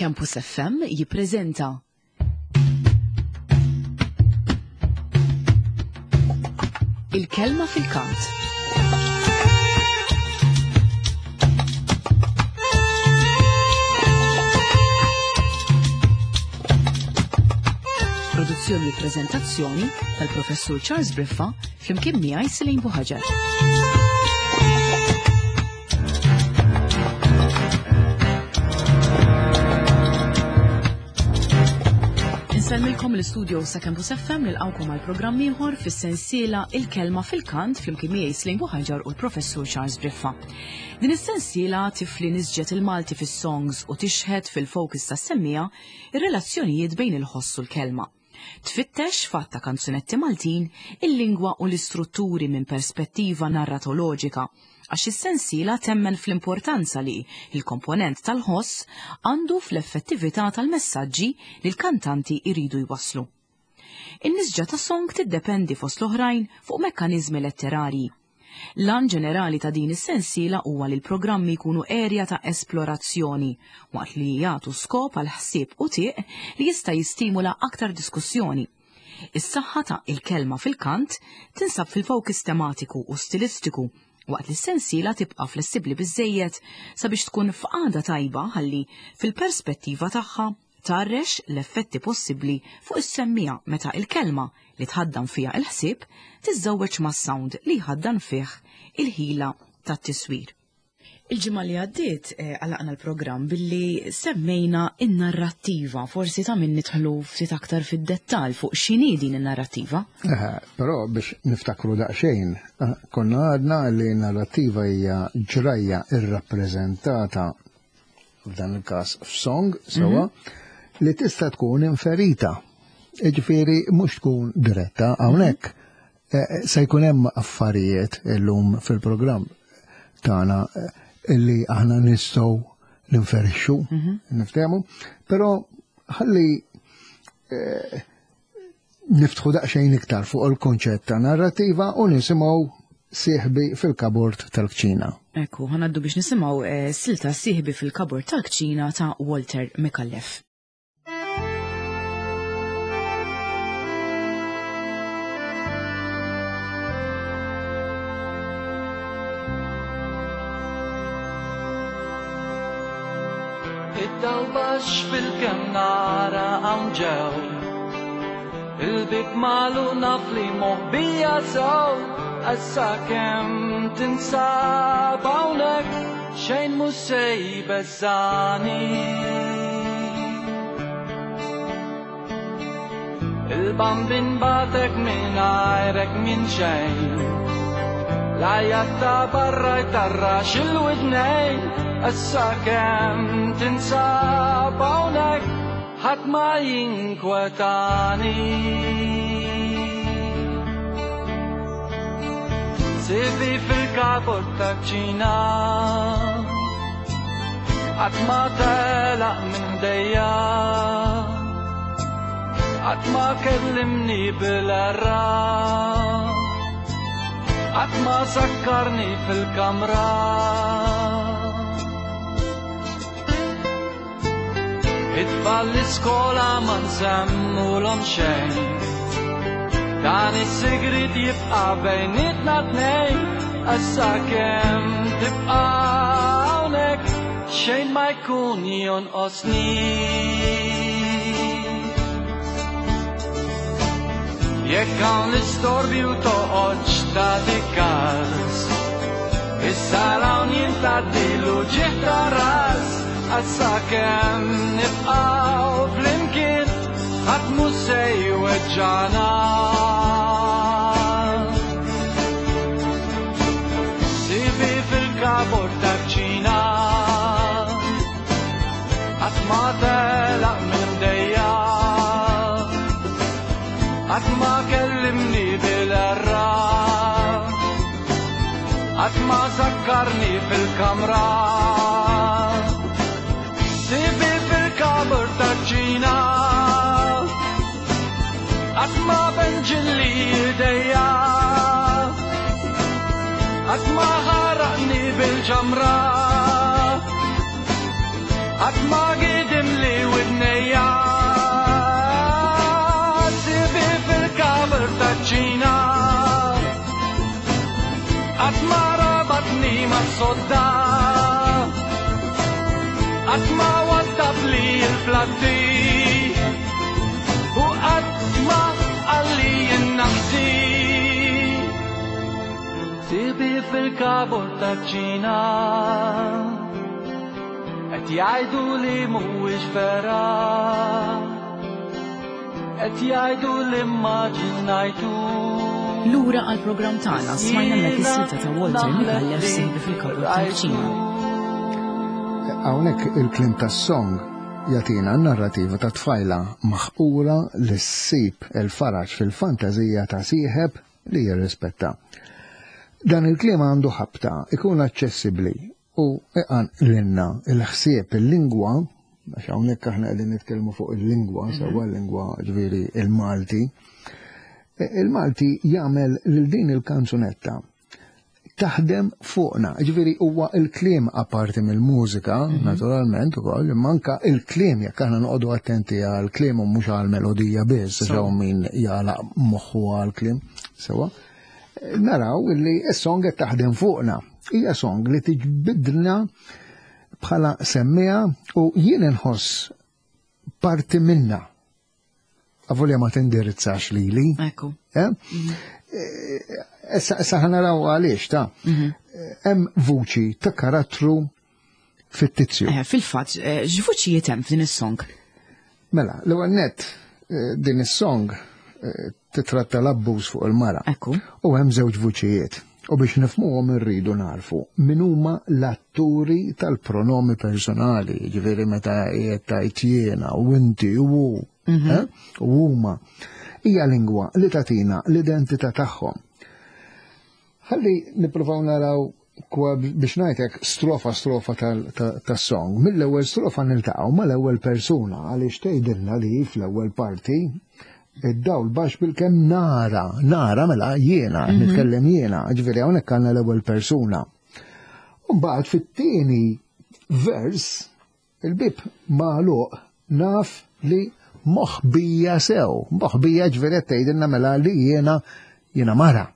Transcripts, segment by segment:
Campus FM jippreżenta Il-kelma fil-kant. Produzzjoni u prezentazzjoni tal-Professur Charles Briffa flimkien miegħi Selin Buħaġar. Insellmilkom l-istudio sa' Campus FM nilqawkom għal programm ieħor fis-sensiela Il-Kelma fil-Kant flimkien miegħi Slim Buħaġar u l-Professur Charles Briffa. Din is-sensiela tifli nisġet il-Malti fis-songs u tixħet fil-focus tas-semmija ir-relazzjonijiet bejn il-ħoss u l-kelma. Tfittex f'għadd ta' kanzunetti Maltin il-lingwa u l-istrutturi minn perspettiva narratoloġika, għax is-sensiela temmen fl-importanza li l-komponent tal-ħoss għandu fl-effettività tal-messaġġi li l-kantanti jridu jwasslu. In-nisġa ta' song tiddependi fost l-oħrajn fuq mekkaniżmi letterarji. L-għan ġenerali ta' din is-sensiela huwa li l-programmi jkunu erja ta' esplorazzjoni, waqt li jagħtu skop għal ħsieb u tieq li jista' jistimula aktar diskussjoni. Is-saħħa ta' Il-Kelma fil-Kant tinsab fil-focus tematiku u stilistiku, waqt li s-sensiela tibqa' flessibbli biżżejjed sabiex tkun f'qagħda tajba ħalli, fil-perspettiva tagħha, tgħarrex l-effetti possibbli fuq is-semmiegħa meta il-kelma li tħaddan fiha il-ħsieb tiżżewweġ mas-sound li jħaddan fih il-ħila tat-tiswir. Il-ġimgħa li għaddiet eh, għalaqna l-programm billi semmejna in-narrattiva, forsi ta' min nidħlu ftit aktar fid-dettall fuq x'inhi din in-narrattiva. Eh, però biex niftakru daqsxejn, eh, konna għadna li n-narrattiva hija ġrajja irrappreżentata f'dan il-każ f'song sewwa mhm. li tista' tkun inferita. Jiġifieri mhux tkun diretta hawnhekk eh, se jkun hemm affarijiet illum fil-programm tagħna eh, illi aħna nistgħu ninferixxu, mhm. niftehmu, però ħalli eh, Niftħu daqsxejn iktar fuq il-kunċett ta' narrattiva u nisimgħu Sieħbi fil-Kabord tal-Kċina. Ekku, ħanaddu biex nisimgħu eh, silta Sieħbi fil-Kabord tal-Kċina ta' Walter Micallef. Id-dawl baxx fil-kemm nara hawn ġew. Il-bib malu naf li moħbija sew. Issa kemm tinsab hawnhekk xejn mhux se jbeżżani. Il-bambin batek mingħajrek minn xejn. L-għajat ta' barra jtarrax il-widnejn. Issa kemm tinsab hawnhekk ħadd ma jinkwetani. Sibi fil-kabor ta' ċina Qatt ma telaq minn ħdejja Qatt ma kellimni bil-erra Qatt ma sakkarni fil-kamra It-tfal l-iskola ma nsemmulhom xejn Dan is-sigriet jibqa' bejnietna tnejn Issa kemm tibqa' hawnhekk xejn ma jkun jonqosni. Jekk hawn l-istorbju toqgħodx tagħti każ. Issa hawn jien tgħaddilu ġieħ ta' ras Issa kemm nibqgħu flimkien ħadd mhu se jweġġagħna. Sibi fil-kabor taċ-ċina Qatt ma telaq minn dejja Qatt ma kellimni bil-erra Qatt ma sakkarni fil-kamra Sibi fil-kabor taċ-ċina Qatt ma benġilli idejja Qatt ma ħaraqni bil-ġamra Qatt ma gidimli. sodda. Qatt ma waddabli l-platti u qatt ma qalli innaħsi. Sibi fil-kabur taċ-ċina qed jgħidu li mhuwiex vera. Qed jgħidu li mmaġinajtu. Lura għall-programm tagħna smajna hemmhekk is-silta ta' Walter Micallef Sieħbi fil-Kabur tal-Kċina. Hawnhekk il-kliem tas-song jagħtina n-narrativa ta' tfajla maħqura li ssib il-faraġ fil-fantażija ta' sieħeb li jirrispetta. Dan il-kliem għandu ħabta, ikun aċċessibbli u iqanqlilna il-ħsieb, il-lingwa, għax hawnhekk aħna qegħdin nitkellmu fuq il-lingwa, sewwa l-lingwa ġifieri il-Malti. Il-Malti jagħmel lil din il-kanzunetta taħdem fuqna. Ġifieri huwa il-kliem apparti mill-mużika, naturalment ukoll, imma anka il-kliem jekk aħna noqogħdu attenti għall-kliem u mhux għall-melodija biss, għax hawn min jagħlaq moħħu għall-kliem, sewwa. Naraw illi s-song qed taħdem fuqna. Hija song li tiġbidna bħala semmiegħa u jien inħoss parti minna. Avolja ma tindirizzax lili. Ekku. Eh? Issa ħanaraw għaliex ta' Hemm vuċi ta' karattru fittizju. Fil-fatt, x'vuċijiet hemm f'din is-song? Mela, l-ewwel nett din is-song titratta l-abbuż fuq il-mara. Ekku. U hemm żewġ vuċijiet. U biex nifhmuhom irridu narfu min huma l-atturi tal-pronomi personali, ġifieri meta qiegħed tgħid jiena u inti u hu, u huma. Hija lingwa li tagħtina l-identità tagħhom. Ħalli nippruvaw naraw kwa biex ngħidlek strofa strofa tas-song. Mill-ewwel strofa niltaqgħu mal-ewwel persuna għaliex tgħidilna li fl-ewwel parti id-dawl baxx bil-kemm nara, nara mela jiena, nitkellem jiena, ġifieri hawnhekk għandna l-ewwel persuna. U mbagħad fit-tieni vers il-bib magħluq naf li moħbija sew, moħbija ġifieri qed tgħidilna mela li jiena jiena mara.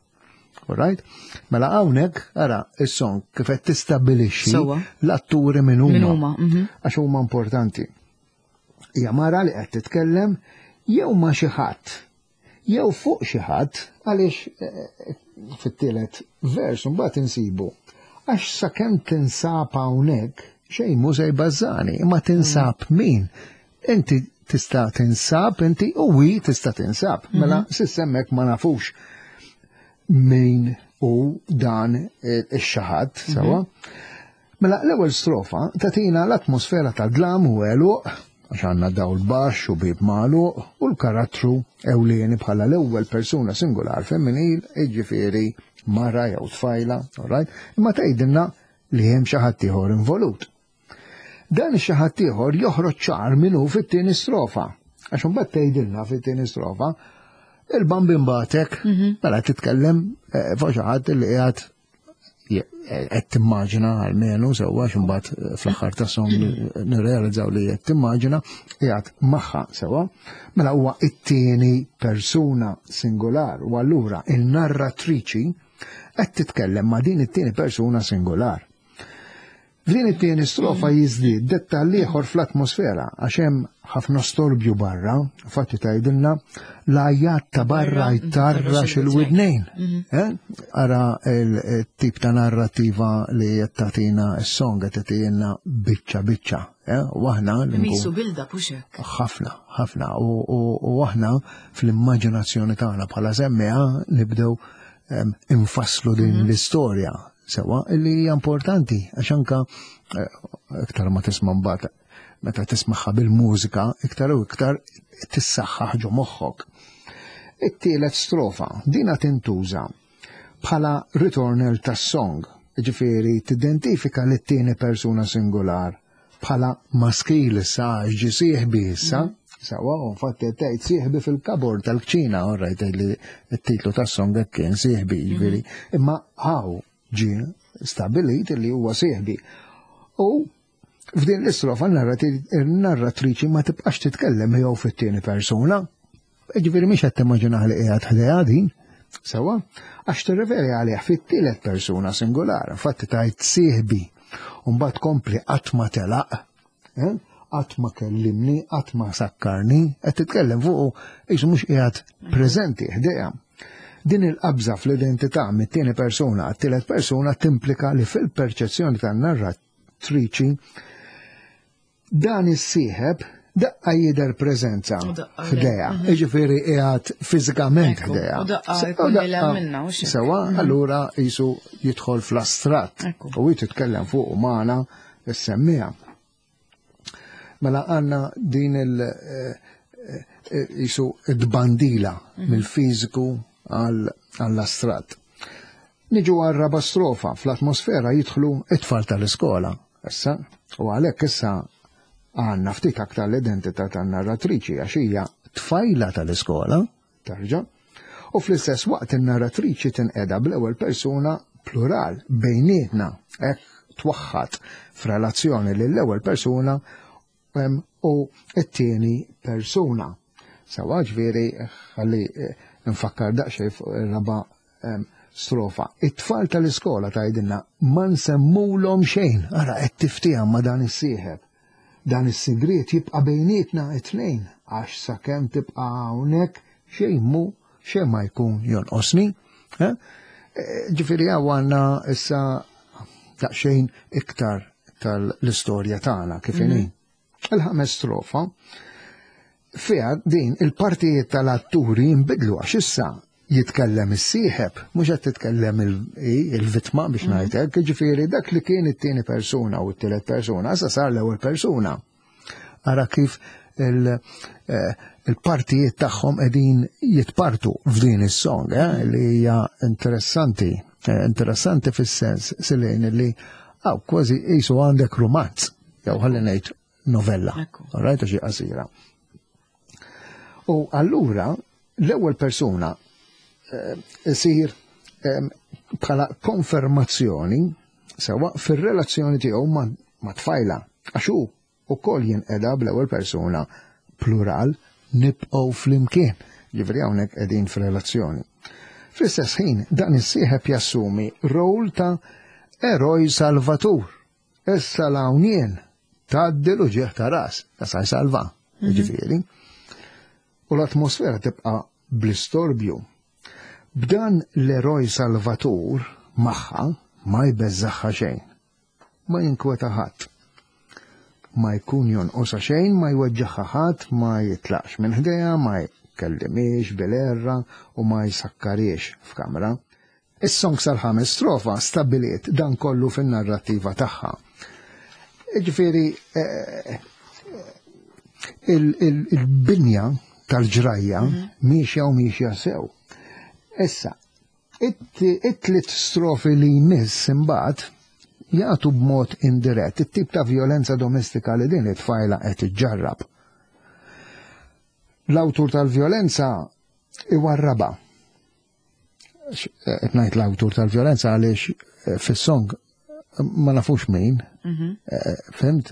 All right? Mela hawnhekk ara is-song kif qed tistabbilixxi Sewwa. l-atturi min huma. Min huma. Għax huma importanti. Hija mara li qed titkellem jew ma' xi ħadd, jew fuq xi ħadd, għaliex fit-tielet vers mbagħad insibu. Għax sakemm tinsab hawnhekk xejn mhu se jbażżani, imma tinsab min? Inti tista' tinsab, inti u hi tista' tinsab. Mela s'issa hemmhekk ma nafux min hu dan ix-xi ħadd, sewwa. Mela l-ewwel strofa tagħtina l-atmosfera ta' dlam u għeluq, għax għandna dawl baxx u bib magħluq, u l-karattru ewlieni bħala l-ewwel persuna singular femminil, jiġifieri mara jew tfajla, all right? Imma tgħidilna li hemm xi ħadd ieħor involut. Dan ix-xi ħadd ieħor joħroġ ċar min hu fit-tieni strofa. Għax imbagħad tgħidilna fit-tieni strofa il-bambin batek, mela titkellem fuq xi ħadd li qiegħed qed timmaġina almenu sewwa għax imbagħad fl-aħħar tas-song nirrealizzaw li qed timmaġina qiegħed magħha sewwa. Mela huwa it-tieni persuna singular u allura il-narratriċi qed titkellem ma' din it-tieni persuna singular. F'din it-tieni strofa jiżdied dettall ieħor fl-atmosfera għax hemm ħafna storbju barra, fatti tgħidilna l-għajat ta' barra jtarrax il-widnejn. Ara il-tip ta' narrativa li qed tagħtina s-song qed tagħtina biċċa biċċa. U aħna li nkun Misu build-up u xek. Ħafna, ħafna. U aħna fl-immaġinazzjoni tagħna bħala semmiegħa nibdew infasslu din l-istorja sewa illi hija importanti għax anka iktar ma tisma' mbagħad meta tismagħha bil-mużika iktar u iktar tissaħħaħ ġo moħħok. It-tielet strofa dina tintuża bħala ritornell tas-song, ġifieri tidentifika lit-tieni persuna singular bħala maskil issa għax ġie sieħbi issa, sewwa, u infatti qed tgħid sieħbi fil-kabord tal-kċina, all right, li t-titlu tas-song hekk kien sieħbi, ġifieri, imma hawn ġie stabilit li huwa sieħbi. U f'din l-istrofa n-narratriċi ma tibqax titkellem jew fit-tieni persuna. Ġifieri mhix qed timmaġina li qiegħed ħdejha din. Sewa, għax tirreferi għalih fit-tielet persuna singular, infatti tajt sieħbi, u mbagħad kompli qatt ma telaq, eh? qatt ma kellimni, qatt ma sakkarni, qed titkellem fuqu qisu mhux qiegħed preżenti ħdejha. Din il-qabża fl-identità mit-tieni persuna għat-tielet persuna timplika li fil-perċezzjoni tan-narratriċi Dan is-sieħeb daqqa jidher preżenza ħdejha, mhm. jiġifieri qiegħed fiżikament ħdejha. Sewa, mhm. allura jisu jidħol fl-astratt u hi titkellem fuq magħna s-semmija. Mela għandna din il- eh, eh, jisu id-bandila mhm. mill-fiżiku għall-astratt. Niġu għar-raba' strofa, fl-atmosfera jidħlu it-tfal tal-iskola, issa, u għalhekk issa għandna ftit aktar l-identità tan-narratriċi għax hija tfajla tal-iskola, tarġa', u fl-istess waqt in-narratriċi tinqeda bl-ewwel persuna plural bejnietna, hekk twaħħad f'relazzjoni lill-ewwel persuna u t-tieni persuna. Sawa ġifieri ħalli eh, nfakkar daqsxejn fuq ir-raba' strofa. It-tfal tal-iskola tgħidilna ma nsemmulhom xejn, ara qed tiftiehem ma' dan is-sieħeb. Dan is-sigriet jibqa' bejnietna it-tnejn għax sakemm tibqa' hawnhekk xejn mu xejn ma jkun jonqosni. Eh? Eh, ġifieri hawn għandna issa daqsxejn iktar tal-istorja tagħna kif inhi. Mhm. Il-ħames strofa fiha din il-partijiet tal-atturi jinbidlu għax issa jitkellem is-sieħeb, mhux qed titkellem il-vittma biex mhm. ngħid hekk, jiġifieri dak li kien it-tieni persuna u t-tielet persuna, issa sar l-ewwel persuna. Ara kif eh, il-partijiet tagħhom qegħdin jitpartu f'din is-song, eh, li hija interessanti, eh, interessanti fis-sens silejn li għaw kważi qisu għandek rumanz, jew ħalli ngħid novella. Right, xi qasira. U allura l-ewwel persuna isir bħala konfermazzjoni sewa fir-relazzjoni tiegħu ma' tfajla għax hu ukoll jinqeda bl-ewwel persuna plural nibqgħu flimkien. Ġifieri hawnhekk qegħdin f'relazzjoni. Fl-istess ħin dan is-sieħeb jassumi rol ta' eroj salvatur. Issa l-hawn jien tgħaddi l-uġigħ ta' ras, ta' sa jsalva, mhm. ġifieri. U l-atmosfera tibqa' bl-istorbju. B'dan l-eroj salvatur magħha ma jbeżżagħha xejn. Ma jinkweta ħadd. Ma jkun jonqosha xejn, ma jweġġagħha ħadd, ma jitlaqx minn ħdejha, ma jkellimhiex bil-għerra u ma jsakkarhiex f'kamra. Is-song sal-ħames strofa stabbiliet dan kollu fin-narrattiva tagħha. Ġifieri eh, il-binja tal-ġrajja mhm. miexja u miexja sew. Issa, it-tliet strofi li jmiss imbagħad jagħtu b'mod indirett it-tip ta' violenza domestika li din it-tfajla qed iġġarrab. L-awtur tal-violenza iwarraba qed ngħid l-awtur tal-vjolenza għaliex eh, fis-song ma nafux min. Mhm. Eh, fimt,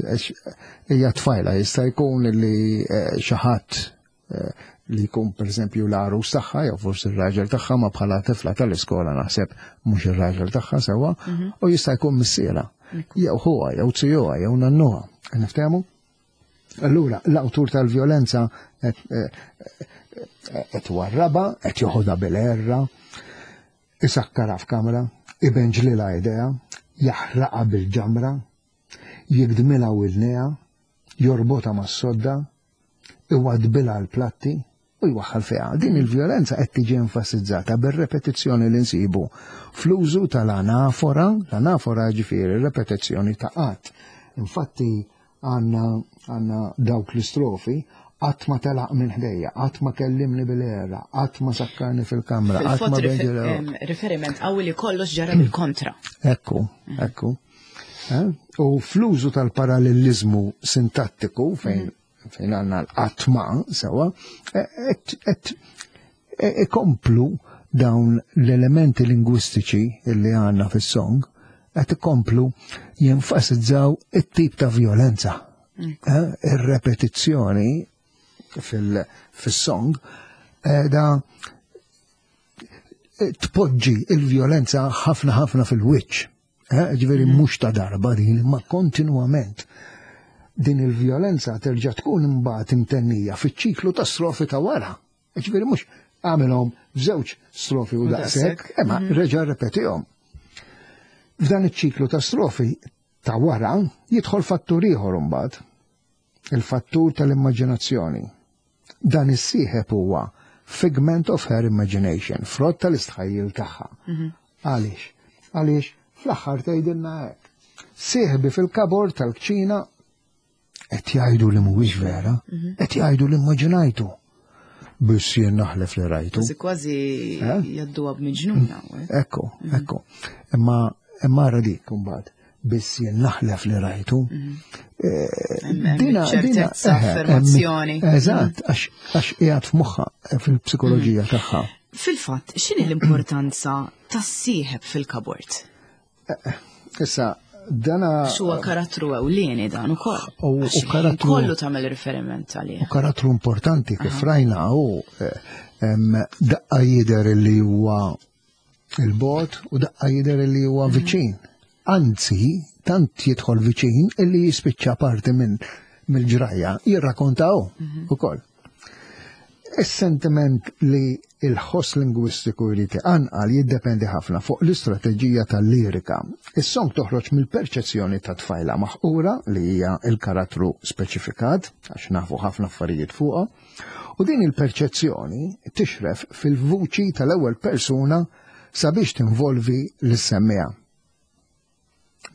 hija tfajla jista' jkun li eh, xi ħadd li jkun pereżempju l-għarus tagħha jew forsi r-raġel tagħha ma bħala tifla tal-iskola naħseb mhux ir-raġel tagħha sewwa mhm. u jista' jkun missiera jew ħuha jew zijuha jew nannuha. Niftehmu? Allura, l-awtur tal-vjolenza qed warraba, qed joħodha bil-erra, isakkara f'kamra, ibenġlilha idea, jaħraqha bil-ġamra, jigdmilha widnejha, jorbotha mas-sodda, iwadbilha l-platti, u jwaħħal fiha. Din il-vjolenza qed tiġi enfasizzata bir-repetizzjoni li nsibu fl-użu tal-anafora, l-anafora ġifieri repetizzjoni ta' qatt. Infatti għandna għandna dawk l-istrofi qatt ma telaq minn ħdejja, qatt ma kellimni bil-era, qatt ma sakkarni fil-kamra, qatt ma Riferiment qawwi li kollox ġara bil-kontra. Ekku, ekku. Eh? U fl-użu tal-parallelizmu sintattiku fejn mhm. fejn għandna l-qatma sewa, qed e, ikomplu dawn l-elementi lingwistiċi li għandna fis-song qed ikomplu jenfasizzaw it-tip ta' violenza. Mm. Eh, ir-repetizzjoni fis-song da Tpoġġi il-vjolenza ħafna ħafna fil-wiċċ. Eh, ġifieri mhux ta' darba din, ma kontinwament. Din il-vjolenza terġa' tkun imbagħad imtennija fiċ-ċiklu ta' strofi ta' wara. Ġifieri mhux għamilhom f'żewġ strofi u daqshekk, imma reġa' rrepetihom. F'dan iċ-ċiklu ta' strofi ta' wara jidħol fattur ieħor imbagħad, il-fattur tal-immaġinazzjoni. Dan is-sieħeb huwa figment of her imagination, frott tal-istħajjil tagħha. Għaliex? Għaliex fl-aħħar tgħidilna hekk. Sieħbi fil-kabor tal-kċina qed jgħidu li mhuwiex vera, qed jgħidu li immaġinajtu. Biss jien naħlef li rajtu. Kważi kważi Eh? jadduha b'miġnuna. eh? Ekku, ekku. Imma imma ara dik imbagħad. Biss jien naħlef li rajtu. Hemm ċertezza, affermazzjoni. Eżatt, għax qiegħed f'moħħha fil-psikoloġija tagħha. Fil-fatt, x'inhi l-importanza tas-sieħeb fil-kabord? Issa, dana. X'huwa karattru ewlieni dan ukoll. U Għax karattru- Kollu tagħmel riferiment għalih. U karattru importanti kif rajna u daqqa jidher li huwa il-bot u daqqa jidher li huwa viċin. Anzi, tant jidħol viċin illi jispiċċa parti minn mill-ġrajja jirrakkontaw ukoll. Is-sentiment li il-ħoss lingwistiku jrid iqanqal jiddependi ħafna fuq l-istrateġija tal-lirika. Is-song toħroġ mill-perċezzjoni ta' tfajla maħqura li hija il-karattru speċifikat, għax nafu ħafna affarijiet fuqha, u din il-perċezzjoni tixref fil-vuċi tal-ewwel persuna sabiex tinvolvi lis-semmiegħa.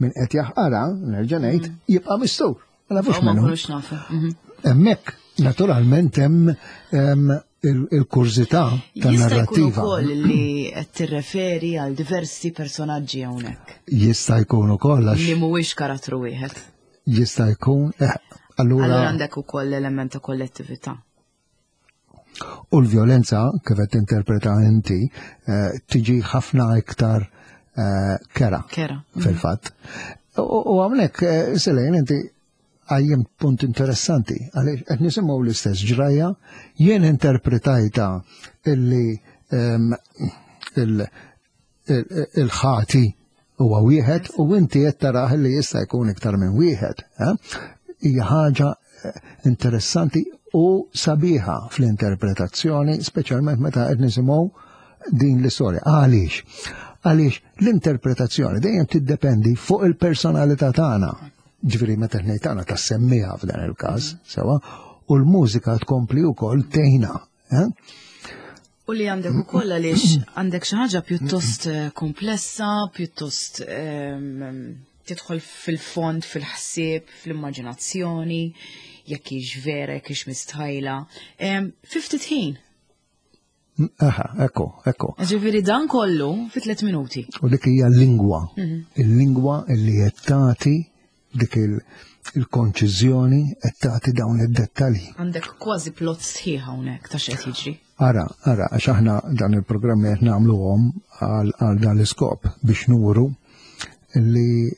Min qed jaħqara, nerġa' ngħid, jibqa' mistur. Ma nafux Ma minnu. nkunux nafu. Hemmhekk naturalment hemm il-kurżità Jista' jkun tan-narrattiva. ukoll li qed tirreferi għal diversi personaġġi hawnhekk. Jista' jkun ukoll għax Li mhuwiex karattru wieħed. jista' jkun allura Allura għandek ukoll l-element ta' kollettività. U l-vjolenza kif qed tinterpreta inti tiġi ħafna iktar kera. Kera. Fil-fatt. U hawnhekk Selejn inti għajjem punt interessanti, għaliex qed nisimgħu l-istess ġrajja, jien interpretajta illi il-ħati huwa wieħed u inti qed tarah li jista' jkun iktar minn wieħed. Hija ħaġa interessanti u sabiħa fl-interpretazzjoni, speċjalment meta qed nisimgħu din l-istorja. Għaliex? Għaliex l-interpretazzjoni dejjem tiddependi fuq il-personalità tagħna. Ġifieri meta ngħid tagħna tas-semmiegħa f'dan il-każ, sewa, u l-mużika tkompli wkoll tgħinha. U li għandek ukoll għaliex għandek xi ħaġa pjuttost komplessa, pjuttost tidħol fil-fond, fil-ħsieb, fl-immaġinazzjoni, jekk hix vera, jekk hix mistħajla. Fi ftit ħin. Aha, ekku, ekku. Ġifieri dan kollu fi 3 minuti. U dik hija l-lingwa. Il-lingwa li qed tagħti dik il-konċiżjoni qed tagħti dawn id-dettalji. Għandek kważi plot sħiħ hawnhekk ta' x'qed jiġri. Ara, ara, għax aħna dan il-programmi qed nagħmluhom għal dan l-iskop biex nuru li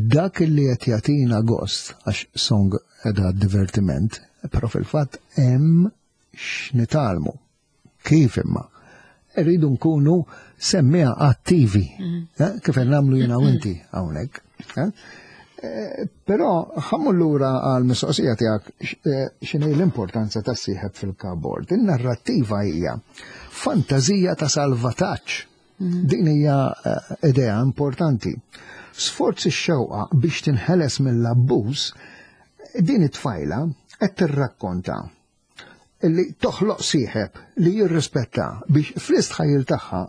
dak li qed jagħtina gost għax song qiegħda divertiment, però fil-fatt hemm x'nitgħallmu. Kif imma? Irridu nkunu semmiegħa attivi, kif qed nagħmlu jiena u inti hawnhekk. Però ħammur lura għal mistoqsija tiegħek x'inhi l-importanza tas-sieħeb fil-kabord. In-narrattiva hija fantażija ta' salvataġġ. Din hija idea importanti. Sforz ix-xewqa biex tinħeles mill-abbuż, din it-tfajla qed tirrakkonta li toħloq sieħeb li jirrispetta biex fl-istħajjil tagħha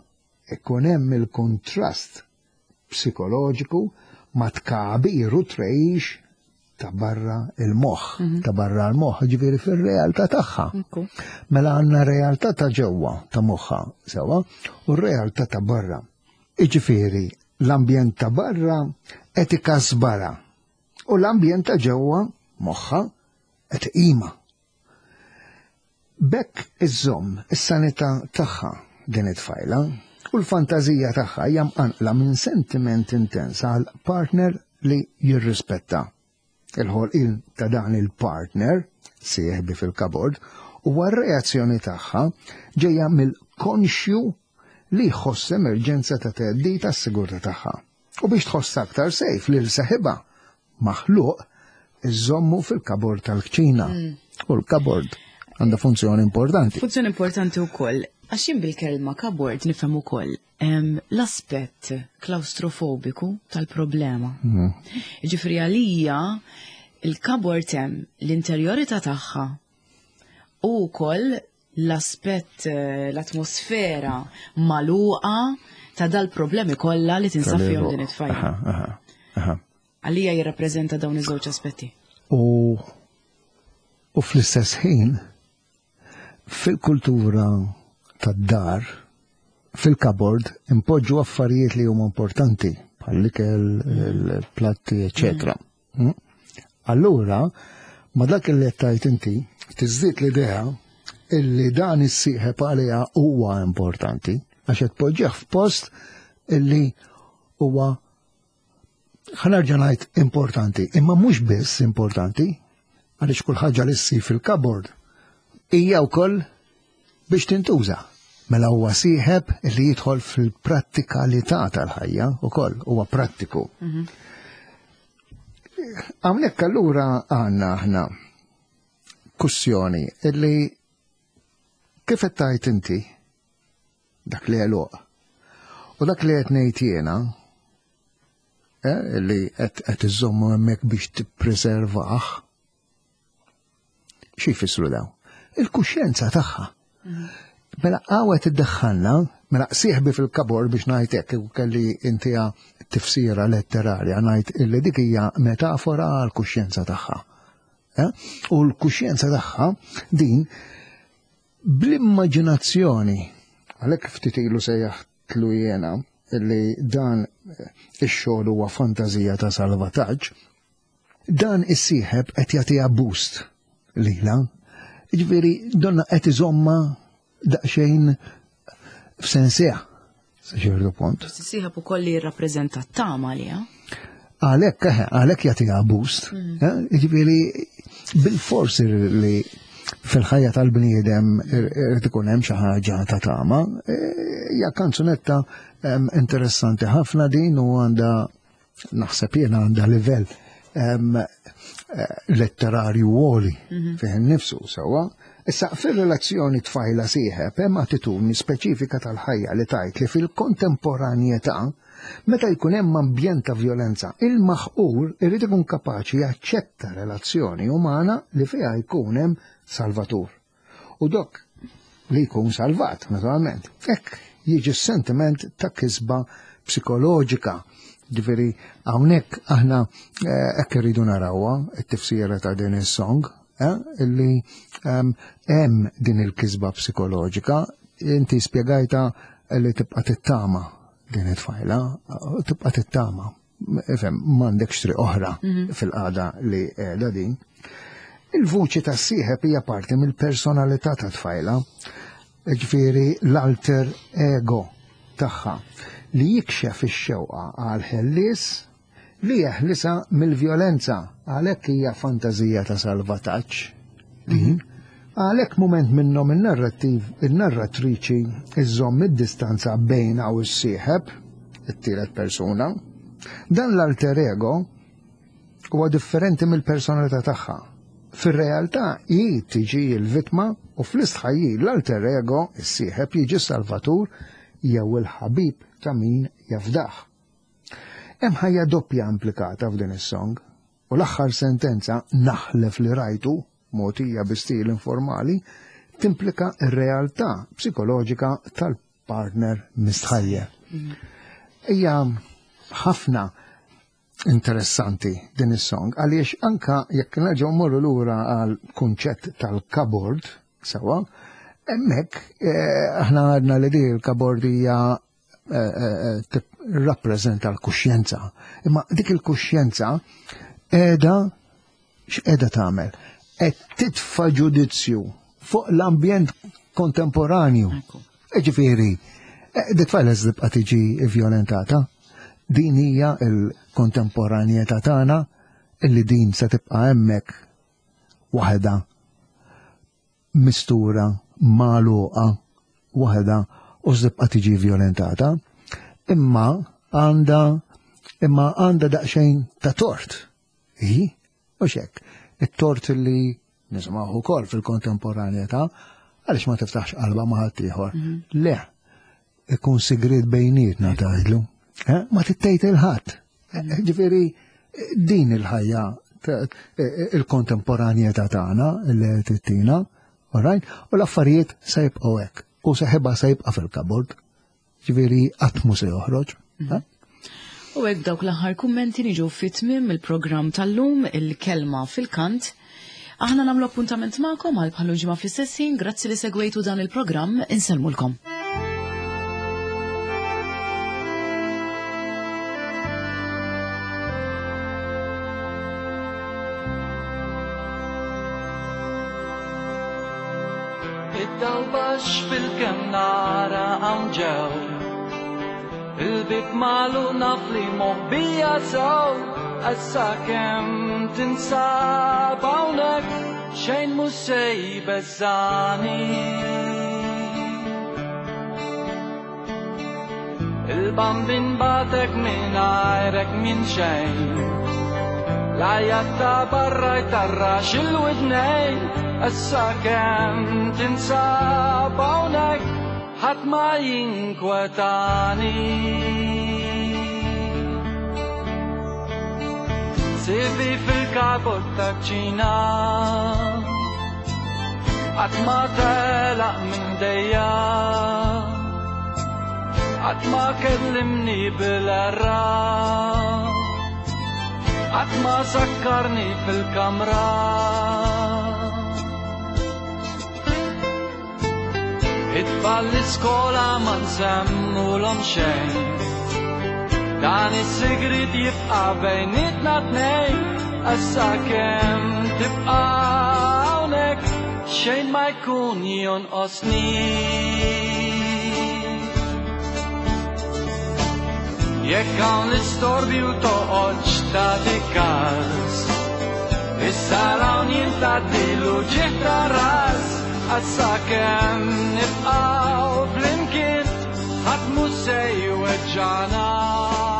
ikun hemm il-kontrast psikoloġiku ma tkabir u trejx ta' barra il-moħħ, ta' barra l-moħħ, ġifieri fir-realtà tagħha. Mela għandna realtà ta' ġewwa ta' moħħha sewwa u r-realtà ta' barra. Iġifieri l-ambjent ta' barra qed ikasbarha u l-ambjent ta' ġewwa moħħha qed iqima. Bekk iżżomm is-sanità tagħha din it-tfajla u l-fantażija tagħha hija mqanqla minn sentiment intens għal partner li jirrispetta. Il-ħolqien ta' dan il-partner, sieħbi fil-kabord, huwa r-reazzjoni tagħha ġejja mill-konxju li jħoss emerġenza ta' theddid għas-sigurtà tagħha. U biex tħoss aktar sejf lil seħibha maħluq iżommu fil-kabord tal-kċina. U l-kabord għandha funzjoni importanti. Funzjoni importanti wkoll, għax jien bil-kelma kabord nifhem ukoll l-aspett klaustrofobiku tal-problema. Ġifieri għalija il-kabord hemm l-interjorità tagħha u wkoll l-aspett eh, l-atmosfera magħluqa ta' dal-problemi kollha li tinsab fihom din it-tfajla. Għalija jirrappreżenta dawn iż-żewġ aspetti. U u fl-istess ħin fil-kultura tad-dar fil-kabord impoġġu affarijiet li huma importanti bħall-ikel, il-platti, eċetera. Mm. Allura, ma dak li qed tgħid inti, tiżdied l-idea illi dan is-sieħeb għaliha huwa importanti għax qed tpoġġih f'post illi huwa ħa nerġa' ngħid importanti, imma mhux biss importanti, għaliex kull ħaġa li ssir fil-cupboard hija wkoll biex tintuża. Mela huwa sieħeb li jidħol fil-prattikalità tal-ħajja ukoll huwa prattiku. Mhm. Hawnhekk allura għandna aħna kussjoni illi kif qed tgħid inti dak li għeluq. U dak li qed ngħid jiena eh, li qed iżommu hemmhekk biex tippreservah xi jfissru daw? Il-kuxjenza tagħha. Mhm. Mela qawet iddaħħalna, mela sieħbi fil-kabor biex ngħid hekk kelli intiha tifsira letterarja ngħid illi dik hija metafora għal kuxjenza tagħha. Eh? U l-kuxjenza tagħha din Bl-immaġinazzjoni, għalhekk ftit ilu sejjaħtlu jiena li dan ix-xogħol huwa fantażija ta' salvataġġ, dan is-sieħeb qed jagħtiha boost lilha. Jiġifieri donna qed iżomma daqsxejn f'sensiha sa ċertu punt. Sieħeb ukoll li jirrappreżenta t-tama għaliha. Għalhekk eh, għalhekk jagħtiha boost. Mm. Eh, jiġifieri bil-forsi li fil-ħajja tal-bniedem irid ikun hemm xi ħaġa ta' tama. Eh, hija kanzunetta interessanti ħafna din u għandha naħseb jiena għandha livell eh, letterarju għoli mhm. fih nifsu sewwa. Issa fir-relazzjoni tfajla sieħeb hemm attitudni speċifika tal-ħajja li tajt li fil-kontemporanjetà meta jkun hemm ambjent ta' vjolenza, il-maħqur irid ikun kapaċi jaċċetta relazzjoni umana li fiha jkun hemm salvatur. U dok li jkun salvat, naturalment. Hekk jiġi s-sentiment ta' kisba psikoloġika. Ġifieri hawnhekk aħna eh, hekk irridu narawha it-tifsira ta' din is-song, eh, illi ehm, hemm din il-kisba psikoloġika, inti spjegajta li tibqa' tittama din it-tfajla, tibqa' tittama. Ifhem, m'għandekx triq oħra mhm. fil-qagħda li qiegħda din. Il-vuċi tas-sieħeb hija parti mill-personalità ta' tfajla, ġifieri l-alter ego tagħha li jikxef ix-xewqa għal ħellies li jeħlisa mill-vjolenza għalhekk hija fantażija ta' salvataġġ din. Mhm. Għalhekk mument minnhom in-narrattiv in-narratriċi iżżomm id-distanza bejna u s-sieħeb it-tielet persuna. Dan l-alter ego huwa differenti mill-personalità tagħha. Fir-realtà hi tiġi l-vittma u fl-istħajjil l-alter ego, is-sieħeb, jiġi salvatur jew il-ħabib ta' min jafdah. Hemm ħajja doppja implikata f'din is-song u l-aħħar sentenza naħlef li rajtu mogħtija bi stil informali timplika r-realtà psikoloġika tal partner mistħajjel. Hija ħafna interessanti din is-song għaliex anka jekk nerġgħu morru lura għal kunċett tal-kabord sewa, hemmhekk eh, aħna għadna li di l-kabord hija eh, eh, rappreżenta l-kuxjenza. Imma dik il-kuxjenza qiegħda x'qiegħda tagħmel? Qed titfa' ġudizzju fuq l-ambjent kontemporanju. Ġifieri, eh, dik tfajla tibqa' tiġi vjolentata. Din hija l-kontemporanjetà tagħna illi din se tibqa' hemmhekk waħedha mistura magħluqa waħedha. u tibqa' tiġi violentata, imma għandha imma għandha daqsxejn ta' tort. Hi, u xek, it-tort li nisimgħu ukoll fil-kontemporanjetà, għaliex ma tiftaħx qalba ma' ħaddieħor. Le, ikun sigriet bejnietna tgħidlu. Eh, ma tittejt il-ħadd. Eh, ġifieri din il-ħajja il-kontemporanjetà tagħna li tittina, alright? U l-affarijiet se jibqgħu hekk. U seħibha se jibqa' fil-kabord. Ġifieri qatt mhu se joħroġ. Eh? U hekk dawk l-aħħar kummenti niġu fi tmiem il-programm tal-lum il-kelma fil-kant. Aħna nagħmlu appuntament magħkom għal bħalu ġimgħa fl-istess ħin, grazzi li segwejtu dan il-programm, insellmulkom. Id-dawl baxx fil-kem nara hawn ġew. Il-bib malu naf li moħbija sew. Issa kemm tinsab hawnhekk xejn mhux se jbeżżani. Il-bambin batek mingħajrek minn xejn. L-għajat ta' barra jtarrax il-widnejn. Issa kemm tinsab hawnhekk ħadd ma jinkwetani. Sibi fil-kabot ta' ċina Qatt ma telaq minn dejja Qatt ma kellimni bil-erra Qatt ma sakkarni fil-kamra It-tfal l-iskola ma nsemmulhom xejn Dan is-sigriet jibqa' bejnietna tnejn Issa kemm tibqa' hawnhekk xejn ma jkun jonqosni. Jekk hawn l-istorbju toqgħodx tagħti każ. Issa hawn jintgħaddilu ġieħ ta' ras. Issa kemm nibqgħu flimkien ħadd mhu se jweġġagħna.